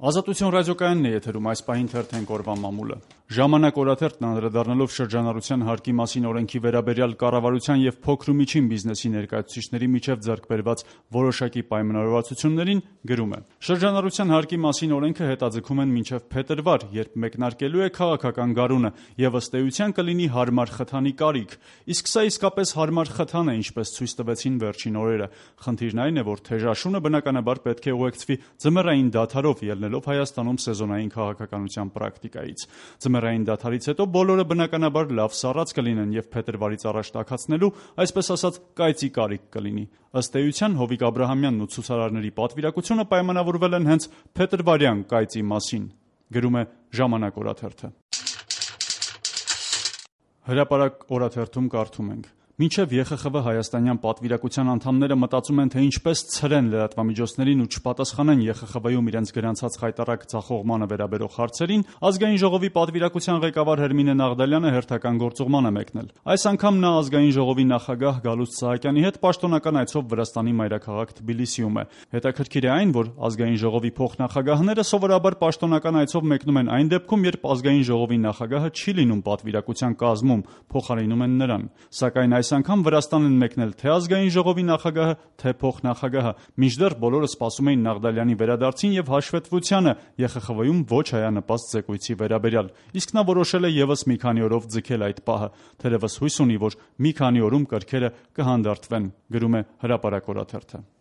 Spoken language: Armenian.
Ազատություն ռադիոկայանն է եթերում, այս պահին թերթենք օրվա մամուլը։ Ժամանակ օրաթերթն անդրադառնալով շրջանառության հարկի մասին օրենքի վերաբերյալ կառավարության եւ փոքր ու միջին բիզնեսի ներկայացուցիչների միջև ձեռք բերված որոշակի պայմանավորվածություններին գրում է. Շրջանառության հարկի մասին օրենքը հետաձգում են մինչև փետրվար, երբ մեկնարկելու է քաղաքական գարունը եւ ըստ էության կլինի հարմար խթանի կարիք, իսկ սա իսկապես հարմար խթան է, ինչպես ցույց տվեցին վերջին օրերը։ Խնդիրն այն է, որ թեժաշունը բնականաբար պետք է ուղեկցվի ձմեռային դադարով, ելնելով Հայաստանում սեզոնային քաղաքականության պրակտիկայից։ Ձմեռային դադարից հետո բոլորը բնականաբար լավ սառած կլինեն եւ փետրվարից առաջ տաքացնելու, այսպես ասած, կայծի կարիք կլինի։ Ըստ էության Հովիկ Աբրահամյանն ու ցուցարարների պատվիրակությունը պայմանավորվել են հենց փետրվարյան կայծի մասին, գրում է Ժամանակ օրաթերթը։ Հրապարակ օրաթերթում կարդում ենք. Մինչև ԵԽԽՎ հայաստանյան պատվիրակության անդամները մտածում են, թե ինչպես ցրեն լրատվամիջոցներին ու չպատասխանեն ԵԽԽՎ-ում իրենց գրանցած խայտառակ ձախողմանը վերաբերող հարցերին, Ազգային ժողովի պատվիրակության ղեկավար Հերմինե Նաղդալյանը հերթական գործուղման է մեկնել։ Այս անգամ նա Ազգային ժողովի նախագահ Գալուստ Սահակյանի հետ պաշտոնական այցով Վրաստանի մայրաքաղաք Թբիլիսիում է։ Հետաքրքիր է այն, որ Ազգային ժողովի փոխնախագահները սովորաբար պաշտոնական այցով մեկնում են այն դեպքում, երբ Ազգային ժողովի նախագահը չի լինում պատվիրակության կազմում, փոխարինում են նրան։ Սակայն այս անգամ Վրաստան են մեկնել թե Ազգային ժողովի նախագահը, թե փոխնախագահը, մինչդեռ բոլորը սպասում էին Նաղդալյանի վերադարձին եւ հաշվետվությանը ԵԽԽՎ-ում ոչ հայանպաստ զեկույցի վերաբերյալ, իսկ նա որոշել է եւս մի քանի օրով ձգել այդ պահը, թերևս հույս ունի, որ մի քանի օրում կրքերը կհանդարտվեն, գրում է Հրապարակ օրաթերթը։